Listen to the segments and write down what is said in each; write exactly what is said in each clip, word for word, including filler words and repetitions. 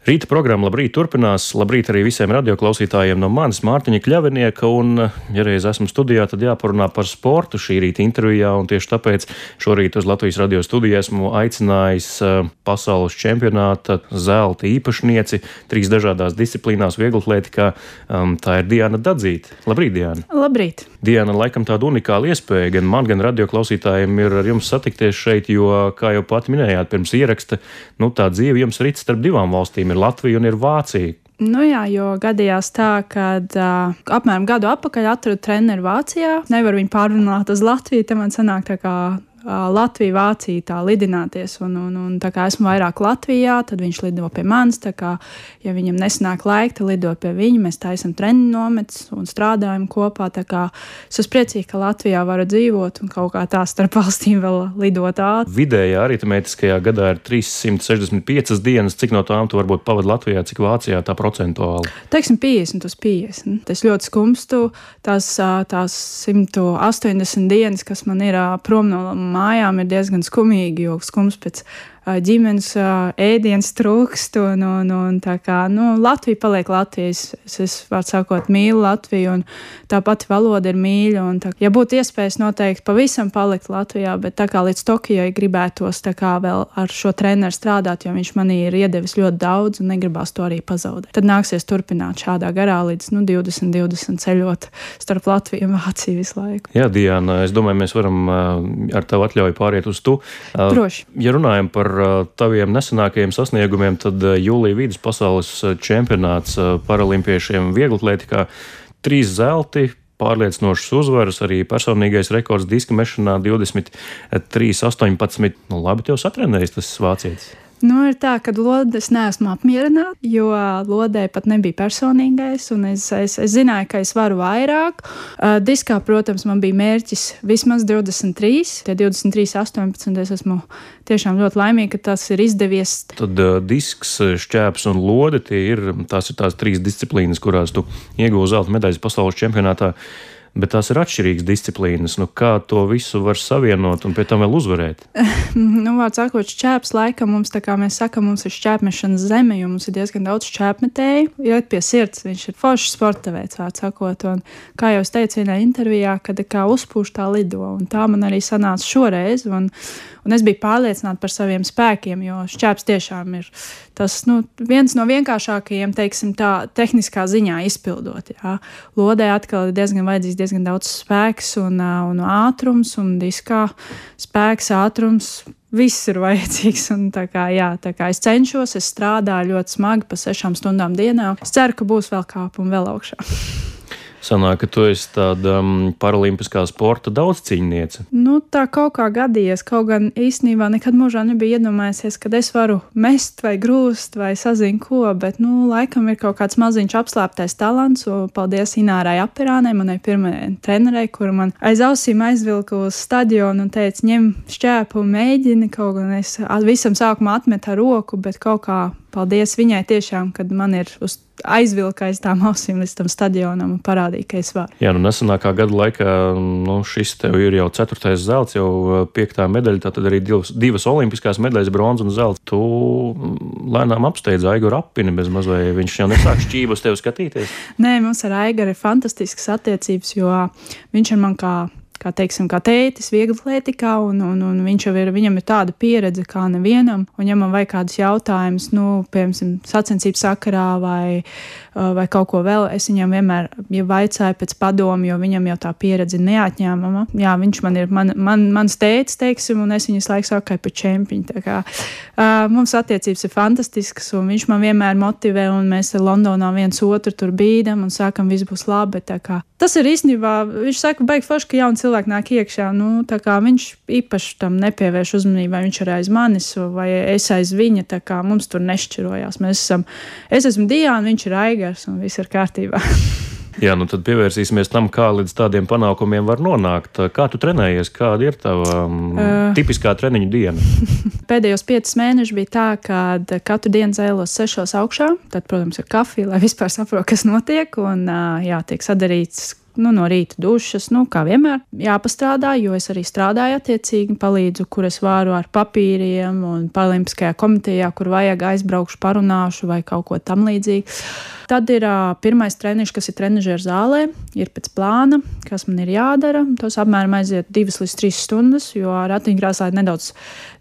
Rīta programma Labrīt turpinās. Labrīt arī visiem radioklausītājiem no manis, Mārtiņa Kļavinieka. Un, ja reiz esmu studijā, tad jāparunā par sportu šī rīta intervijā. Un tieši tāpēc šorīt uz Latvijas radio studiju esmu aicinājis pasaules čempionāta zelta īpašnieci trīs dažādās disciplīnās vieglatlētikā. Tā ir Diana Dadzīte. Labrīt, Diana! Labrīt! Diana, laikam tāda unikāla iespēja gan man, gan radioklausītājiem ir ar jums satikties šeit, jo, kā jau pat minējāt pirms ieraksta, nu, tā dzīve jums rit starp divām valstīm. Ir Latvija un ir Vācija. Nu jā, jo gadījās tā, ka uh, apmēram gadu atpakaļ atradu treneru Vācijā. Nevaru viņu pārrunāt uz Latviju, te man sanāk tā kā uh, Latvija, Vācija tā lidināties. Un, un, un tā kā esmu vairāk Latvijā, tad viņš lido pie manis. Tā kā, ja viņam nesanāk laika, tad lido pie viņa. Mēs taisam treniņu nometus un strādājam kopā. Tā kā es esmu priecīga, ka Latvijā varu dzīvot un kaut kā tā starp valstīm vēl lidot ātri. Vidējā aritmētiskajā gadā ir trīssimt sešdesmit piecas dienas. Cik no tām tu varbūt pavadi Latvijā, cik Vācijā tā procentuāli? Teiksim piecdesmit uz piecdesmit. Es ļoti skumstu tās, tās simt astoņdesmit dienas, kas man ir prom no mājām, ir diezgan skumīgi, jo skums pēc ģimenes ēdienas trūkst, un, un, un tā kā, nu, Latvija paliek Latvija. Es, es var sakot, mīlu Latviju, un tā pati valoda ir mīļa, un tā, ja būtu iespējas noteikti pavisam palikt Latvijā, bet tā kā līdz Tokijai gribētos tā kā vēl ar šo treneru strādāt, jo viņš manī ir iedevis ļoti daudz, un negribās to arī pazaudēt. Tad nāksies turpināt šādā garā līdz, nu, divdesmit divdesmit ceļot starp Latviju un Vāciju visu laiku. Jā, Diana, es domāju, mēs varam ar tavu atļauju pāriet uz tu. Droši. Ja runājam par taviem nesenākajiem sasniegumiem, tad jūlija vidus pasaules čempionāts paralimpiešiem vieglatlētikā, trīs zelti, pārliecinošas uzvaras, arī personīgais rekords diska mešanā divdesmit trīs astoņpadsmit. Nu, labi, tev satrenējis tas vācietis. Nu, ir tā, ka lode es neesmu apmierināta, jo lodē pat nebija personīgais, un es, es, es zināju, ka es varu vairāk. Uh, diskā, protams, man bija mērķis vismaz divdesmit trīs, tie divdesmit trīs astoņpadsmit, es esmu tiešām ļoti laimīga, ka tas ir izdevies. Tad uh, disks, šķēps un lode, tie ir, tās ir tās trīs disciplīnas, kurās tu ieguvi zelta medaļas pasaules čempionātā. Bet tās ir atšķirīgas disciplīnas. Nu, kā to visu var savienot un pēc tam vēl uzvarēt? Nu, vārds sakot, šķēps laikam mums, tā kā mēs sakam, mums ir šķēpmešanas zeme, jo mums ir diezgan daudz šķēpmetēju. Iet pie sirds, viņš ir foršs sporta veids, vārds sakot. Un, kā jau es teicu vienā intervijā, kad kā uzpūš tā lido. Un tā man arī sanāca šoreiz. Un, un es biju pārliecināta par saviem spēkiem, jo šķēps tiešām ir tas, nu, viens no vienkāršākajiem, teiksim tā, tehniskā ziņā izpildot. Jā. Lodē atkal ir diezgan vajadzīgs diezgan daudz spēks un, un ātrums, un diskā spēks, ātrums, viss ir vajadzīgs. Un tā kā, jā, tā kā es cenšos, es strādāju ļoti smagi pa sešām stundām dienā. Es ceru, ka būs vēl kāpumi vēl augšā. Sanāk, ka tu esi tāda um, paralimpiskā sporta daudzcīņniece. Nu, tā kaut kā gadījies, kaut gan īstenībā nekad mūžā nebija iedomājusies, kad es varu mest vai grūst vai sazinu ko, bet, nu, laikam ir kaut kāds maziņš apslēptais talants, un paldies Inārai Aperānei, manai pirmajai trenerei, kura man aiz ausīm aizvilka uz stadionu un teica, ņem šķēpu un mēģini, kaut gan es visam sākumā atmetu ar roku, bet kaut kā paldies viņai tiešām, kad man ir uz aizvilka aiz tām ausīm līdz tam stadionam un parādīja, ka es varu. Jā, nu nesenākā gada laikā, nu šis tev ir jau ceturtais zelts, jau piektā medaļa, tātad arī divas, divas olimpiskās medaļas, bronza un zelts. Tu lēnām apsteidz Aigaru Appini bez maz, vai viņš jau nesāk šķību uz tevi skatīties? Nē, mums ar Aigaru ir fantastiskas attiecības, jo viņš ir man kā kā teiksim, kā tētis vieglatlētikā, un, un, un viņš jau ir, viņam ir tāda pieredze kā nevienam, un ja man vajag kādus jautājumus, nu, piemēram, sacensību sakarā vai, vai kaut ko vēl, es viņam vienmēr ja vaicāju pēc padomu, jo viņam jau tā pieredze ir neatņēmama. Jā, viņš man ir, man, man, mans tētis, teiksim, un es viņas laiku saku, kā pa čempiņu, tā kā uh, mums attiecības ir fantastiskas, un viņš man vienmēr motivē, un mēs Londonā viens otru tur bīdam, un sākam, viss būs labi, tā kā tas ir īstenībā, viņš saka, baigi forši, ka jauni cilvēki nāk iekšā, nu, tā kā viņš īpaši tam nepievērš uzmanību, vai viņš ir aiz manis, vai es aiz viņa, tā kā mums tur nešķirojās. Mēs esam, es esmu Diana, viņš ir Aigars, un viss ir kārtībā. Jā, nu tad pievērsīsimies tam, kā līdz tādiem panākumiem var nonākt. Kā tu trenējies? Kāda ir tava um, uh, tipiskā treniņu diena? Pēdējos piecus mēnešus bija tā, ka katru dienu cēlos sešos augšā. Tad, protams, ir kafija, lai vispār saprotu, kas notiek. Un, uh, jā, tiek sadarīts nu, no rīta dušas, nu, kā vienmēr jāpastrādā, jo es arī strādāju attiecīgi, palīdzu, kur es varu ar papīriem un Paralimpiskajā komitejā, kur vajag aizbraukšu, parunāšu vai kaut ko tam līdzīgi. Tad ir uh, pirmais treniņš, kas ir trenižera zālē, ir pēc plāna, kas man ir jādara. Tas apmēram aiziet divas līdz trīs stundas, jo ratiņkrēslā ir nedaudz,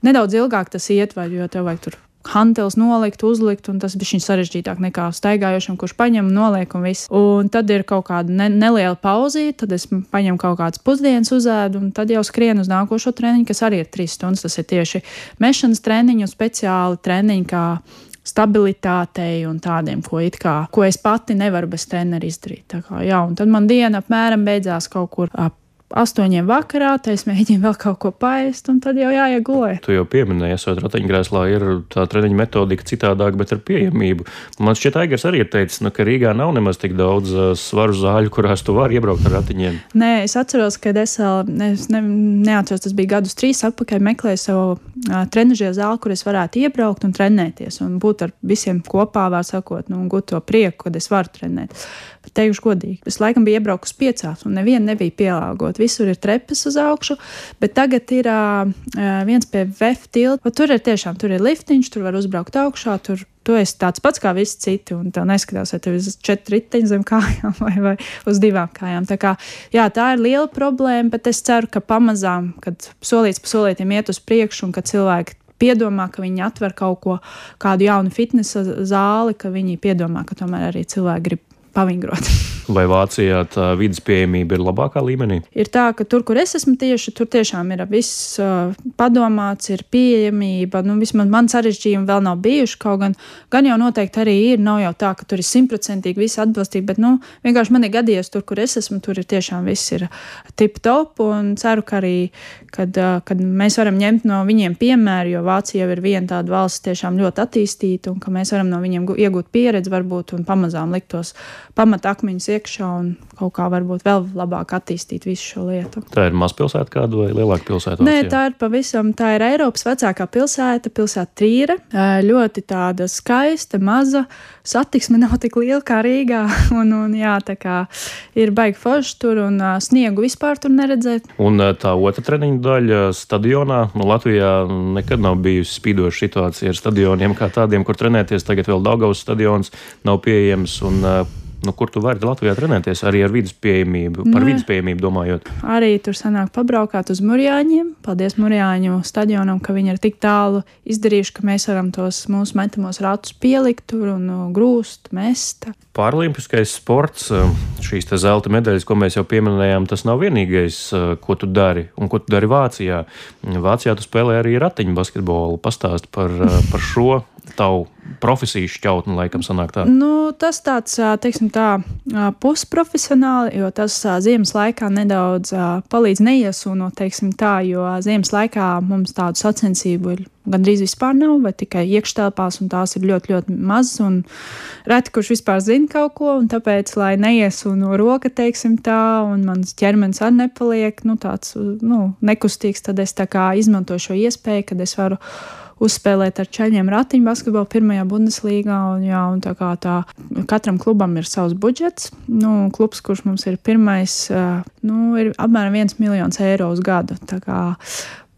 nedaudz ilgāk tas iet, vai, jo tev vajag tur hanteles nolikt, uzlikt, un tas bišķiņ sarežģītāk nekā staigājošam, kurš paņem un noliek un viss. Un tad ir kaut kāda ne, neliela pauzīte, tad es paņemu kaut kādas pusdienas uzēdu, un tad jau skrienu uz nākošo treniņu, kas arī ir trīs stundas. Tas ir tieši mešanas treniņi un speciāli treniņi, kā stabilitātei un tādiem, ko, it kā, ko es pati nevaru bez trenera izdarīt. Tā kā, jā, un tad man diena apmēram beidzās kaut kur ap astoņiem vakarā, tad es mēģinu vēl kaut ko paēst, un tad jau jāiet gulēt. Tu jau pieminēji, esot ratiņkrēslā, ir tā treniņa metodika citādāk, bet ar pieejamību. Man šķiet, Aigars arī ir teicis, nu, ka Rīgā nav nemaz tik daudz svaru zāļu, kurās tu vari iebraukt ar ratiņiem. Nē, es atceros, kad es vēl, es ne, neatceros, tas bija gadus trīs atpakaļ, meklēju savu uh, trenižera zāli, kur es varētu iebraukt un trenēties, un būt ar visiem kopā, var sakot, nu, un gūt to prieku, kad es varu trenēt. Bet teikšu godīgi, es laikam biju iebraukus piecās, un neviena nebija pielāgot. Visur ir trepes uz augšu, bet tagad ir uh, viens pie V E F tilta. Tur ir tiešām, tur ir liftiņš, tur var uzbraukt augšā, tur tu esi tāds pats kā visi citi, un tev neskatās, vai tev ir četri riteņi zem kājām vai, vai uz divām kājām. Tā kā, jā, tā ir liela problēma, bet es ceru, ka pamazām, kad solīts pa solītiem iet uz priekšu, un ka cilvēki piedomā, ka viņi atver kaut ko, kādu jaunu fitnesa zāli, ka viņi piedomā, ka tomēr arī cilvēki grib pavingrot. Vai Vācijā tā vidas pieejamība ir labākā līmenī? Ir tā, ka tur, kur es esmu tieši, tur tiešām ir viss uh, padomāts, ir pieejamība. Nu, vismaz man sarežģījumi vēl nav bijuši, kaut gan, gan jau noteikti arī ir. Nav jau tā, ka tur ir simtprocentīgi viss atbilstīgi, bet nu, vienkārši man ir gadījies tur, kur es esmu, tur ir tiešām viss ir tip top, un ceru, ka arī, kad, uh, kad mēs varam ņemt no viņiem piemēru, jo Vācija jau ir viena tāda valsts tiešām ļoti attīstīta, un ka mēs varam no viņiem iegūt pieredzi varbūt un pamazām likt tos pamatakmeņus iekšā un kaut kā varbūt vēl labāk attīstīt visu šo lietu. Tā ir mazpilsēta kāda vai lielāka pilsēta? Nē, tā ir pavisam, tā ir Eiropas vecākā pilsēta, pilsēta tīra, ļoti tāda skaista, maza, satiksme nav tik liela kā Rīgā, un, un jā, tā kā ir baigi forši tur, un sniegu vispār tur neredzēt. Un tā otra treniņu daļa stadionā, nu Latvijā nekad nav bijusi spīdoša situācija ar stadioniem kā tādiem, kur trenēties, tagad vēl Daugavas stadions nav pieejams, un nu, kur tu vari Latvijā trenēties, arī ar vidas pieejamību, par vidas pieejamību domājot? Arī tur sanāk pabraukāt uz Murjāņiem. Paldies Murjāņu stadionam, ka viņi ir tik tālu izdarījuši, ka mēs varam tos mūsu metamos ratus pielikt tur un grūst, mest. Paralimpiskais sports, šīs te zelta medaļas, ko mēs jau pieminējām, tas nav vienīgais, ko tu dari un ko tu dari Vācijā. Vācijā tu spēlē arī ratiņu basketbolu. Pastāst par, par šo tavu profesiju šķautni, laikam sanāk tā? Nu, tas tāds, teiksim tā, pusprofesionāli, jo tas ziemas laikā nedaudz palīdz neiesūnot, teiksim tā, jo ziemas laikā mums tādu sacensību ir gandrīz vispār nav, vai tikai iekštelpās, un tās ir ļoti, ļoti mazas, un reti, kurš vispār zina kaut ko, un tāpēc, lai neiesūno roka, teiksim tā, un mans ķermenis arī nepaliek, nu, tāds, nu, nekustīgs, tad es tā kā izmantoju šo iespēju, kad es varu uzspēlēt ar čaļiem ratiņu basketbolu pirmajā Bundeslīgā, un jā, un tā kā tā, katram klubam ir savs budžets, nu, klubs, kurš mums ir pirmais, nu, ir apmēram viens miljons eiro uz gadu, tā kā,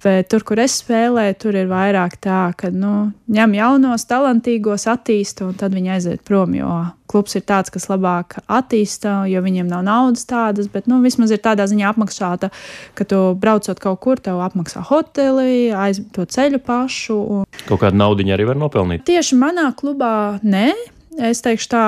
bet tur, kur es spēlēju, tur ir vairāk tā, ka, nu, ņem jaunos, talantīgos, attīsta, un tad viņi aiziet prom, jo klubs ir tāds, kas labāk attīsta, jo viņiem nav naudas tādas, bet, nu, vismaz ir tādā ziņā apmaksāta, ka tu braucot kaut kur, tev apmaksā hoteli, aiz to ceļu pašu. Un... Kaut kādu naudiņu arī var nopelnīt? Tieši manā klubā nē. Es teikšu tā,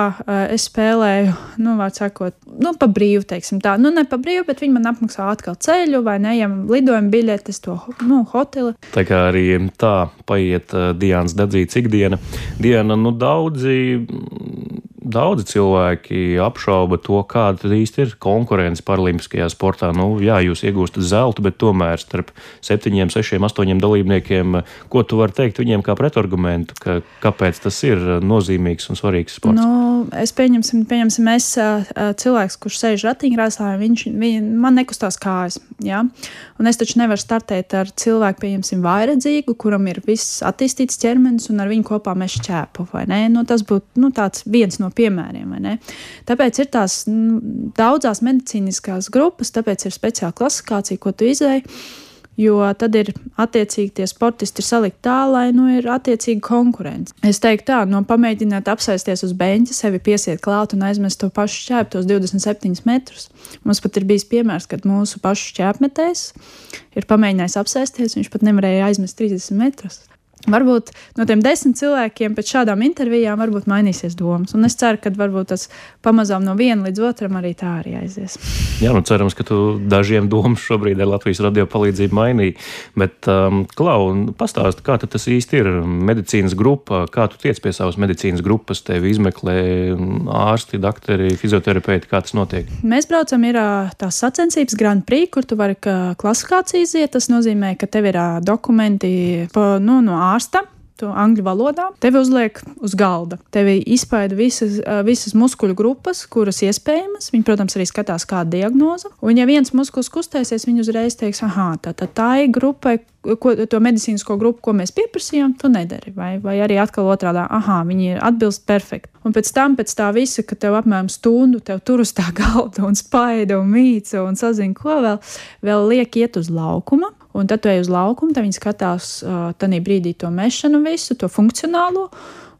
es spēlēju, nu, vārds sakot, nu, pa brīvu, teiksim tā. Nu, ne pa brīvu, bet viņi man apmaksā atkal ceļu vai neejam lidojumu biļetes, to, nu, hoteli. Tā kā arī tā paiet Diānas Dedzītes ikdiena. Diana, nu, daudzi... Daudzi cilvēki apšauba to, kāda tad īsti ir konkurence paralimpiskajā sportā. Nu, jā, jūs iegūstat zeltu, bet tomēr starp septiņiem, sešiem, astoņiem dalībniekiem, ko tu vari teikt viņiem kā pretargumentu, ka, kāpēc tas ir nozīmīgs un svarīgs sports? Nu, es pieņemsim, pieņemsim, es cilvēks, kurš sēž ratiņkrēslā, viņš, viņš, man nekustās kājas, jā? Un es taču nevaru startēt ar cilvēku, pieņemsim, vājredzīgu, kuram ir viss attīstīts ķermenis un ar viņu kopā mēs šķēpu, vai ne? Nu, tas būtu, nu, tāds viens no piemēriem, vai ne? Tāpēc ir tās nu, daudzās medicīniskās grupas, tāpēc ir speciāla klasifikācija, ko tu izēji. Jo tad ir attiecīgi tie sportisti ir salikti tā, lai nu, ir attiecīgi konkurence. Es teiktu tā, no pamēģināt apsēsties uz beņķa, sevi piesiet klāt un aizmest to pašu šķēpu, tos divdesmit septiņus metrus. Mums pat ir bijis piemērs, kad mūsu pašu šķēpmetējs ir pamēģinājis apsēsties, viņš pat nevarēja aizmest trīsdesmit metrus. Varbūt no tiem desmit cilvēkiem pēc šādām intervijām varbūt mainīsies domas. Un es ceru, ka varbūt tas pamazām no viena līdz otram arī tā arī aizies. Jā, nu cerams, ka tu dažiem domas šobrīd ar Latvijas radio palīdzību mainīji. Bet, um, Klau, pastāsti, kā tas īsti ir medicīnas grupa, kā tu tiec pie savas medicīnas grupas, tevi izmeklē ārsti, dakteri, fizioterapeiti, kā tas notiek? Mēs braucam, ir tās sacensības Grand Prix, kur tu vari klasifikāciju iziet. Tas nozīmē, ka tev ir dokumenti pa, nu, no ārsta, to angļu valodā, tevi uzliek uz galda. Tevi izpaida visas, visas muskuļu grupas, kuras iespējamas. Viņi, protams, arī skatās kādu diagnozu. Un ja viens muskulis kustēsies, viņi uzreiz teiks, aha, tā, tā, tā ir grupai, ko, to medicīnisko grupu, ko mēs pieprasījām, tu nedari. Vai, vai arī atkal otrādā, aha, viņi atbilst perfekti. Un pēc tam, pēc tā visa, ka tev apmēram stundu tev tur uz tā galda un spaida un mīca un sazina, ko vēl, vēl liek iet uz laukuma. Un tad tu ej uz laukumu, tad viņi skatās uh, tanī brīdī to mešanu visu, to funkcionālo,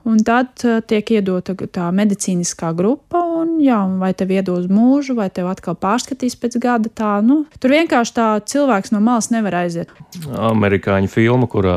un tad uh, tiek iedota tā medicīniskā grupa, un jā, un vai tev iedos mūžu, vai tev atkal pārskatīs pēc gada tā, nu, tur vienkārši tā cilvēks no malas nevar aiziet. Amerikāņu filmu, kurā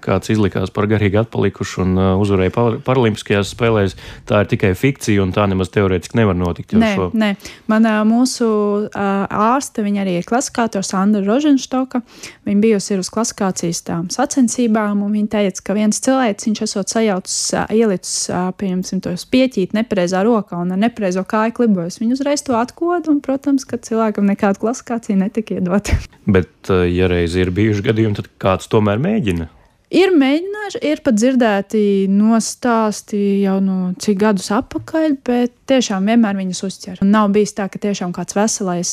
kāds izlikās par garīgi atpalikušu un uh, uzvarēja par, paralimpiskajās spēlēs, tā ir tikai fikcija, un tā nemaz teorētiski nevar notikt. Nē, šo... nē. Man uh, mūsu uh, ārste, viņa arī ir klasifikātors, Sandra Roženštoka, viņa bijusi ir uz klasifikācijas tām sacensībām, un viņa teica, ka viens cilvēks, viņš esot sajaucis ielicis, pieņemsim, to spieķīt nepareizā rokā un ar nepareizo kāju klibojas. Viņi uzreiz to atkoda un, protams, ka cilvēkam nekāda klasifikācija netika iedota. Bet, ja reiz ir bijuši gadījumi, tad kāds tomēr mēģina? Ir mēģinājuši, ir pat dzirdēti nostāsti jau no cik gadus atpakaļ, bet tiešām vienmēr viņus uzķer. Un nav bijis tā, ka tiešām kāds veselais,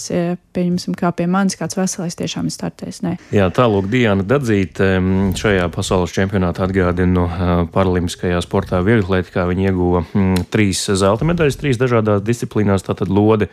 pieņemsim, kā pie manis, kāds veselais tiešām ir startējis. Nē. Jā, tālūk Diana Dadzīte šajā pasaules čempionātā atgādina no paralimpiskajā sportā vieglatlētikā. Viņa ieguva mm, trīs zelta medaļas, trīs dažādās disciplīnās, tātad lode,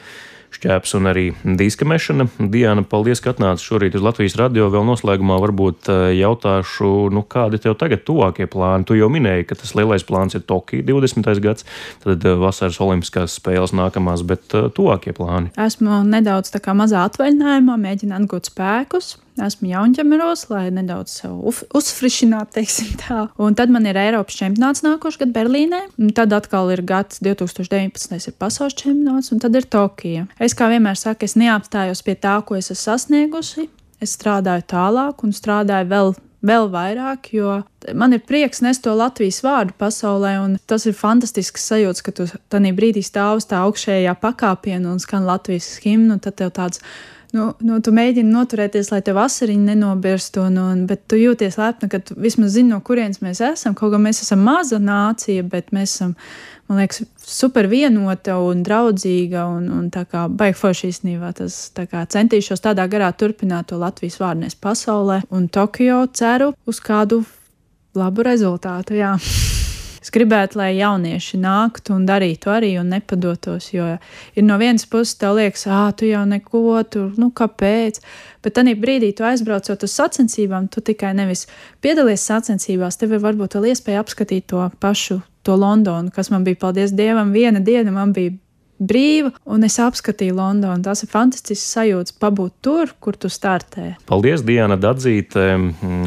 šķēps un arī diska mešana. Diana, paldies, ka atnāci šorīt uz Latvijas radio. Vēl noslēgumā varbūt jautāšu, nu, kādi tev tagad tuvākie plāni? Tu jau minēji, ka tas lielais plāns ir Tokija divdesmitais gads, tad vasaras olimpiskās spēles nākamās, bet tuvākie plāni? Esmu nedaudz tā kā mazā atvaļinājumā, mēģinu atgūt spēkus. Esmu jaunķemeros, lai nedaudz sev uzfrišinātu, teiksim tā. Un tad man ir Eiropas čempionāts nākošais gads Berlīnē. Un tad atkal ir gads divi tūkstoši deviņpadsmitais ir pasaules čempionāts, un tad ir Tokija. Es kā vienmēr saku, es neapstājos pie tā, ko es esmu sasniegusi. Es strādāju tālāk un strādāju vēl, vēl vairāk, jo man ir prieks nest to Latvijas vārdu pasaulē, un tas ir fantastisks sajūts, ka tu tanī brīdī stāv uz tā augšējā pakāpiena un skan Latvijas himnu, un tad tev tāds... Nu, nu, tu mēģini noturēties, lai tev asariņi nenobirst, un, un, bet tu jūties lepni, ka tu vismaz zini, no kurienes mēs esam. Kaut kā mēs esam maza nācija, bet mēs esam, man liekas, super vienota un draudzīga, un, un tā kā baigi forši īstenībā. Tas tā kā centīšos tādā garā turpināt to Latvijas vārdu nest pasaulē, un Tokio ceru uz kādu labu rezultātu, jā. Es gribētu, lai jaunieši nāktu un darītu arī un nepadotos, jo ir no vienas puses tev liekas, ā, tu jau neko, tur, nu kāpēc? Bet tanī brīdī tu aizbraucot uz sacensībām, tu tikai nevis piedalies sacensībās, tev ir varbūt vēl iespēja apskatīt to pašu, to Londonu, kas man bija, paldies Dievam, viena diena man bija brīva, un es apskatīju Londonu. Tas ir fantastisks sajūts pabūt tur, kur tu startē. Paldies, Diana Dadzīte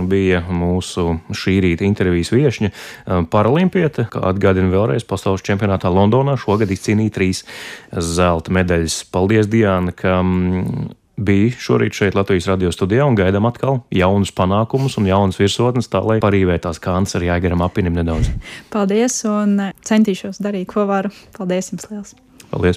bija mūsu šī rīta intervijas viešņa, paralimpiete, kā atgādina vēlreiz pasaules čempionātā Londonā šogad izcīnīja trīs zelta medaļas. Paldies, Diana, ka bija šorīt šeit Latvijas radio studijā un gaidām atkal jaunus panākumus un jaunas virsotnes, tā lai parīvētās kāns arī Aigaram Apinim nedaudz. Paldies, un centīšos darīt, ko varu. Paldies jums liels! Paldies!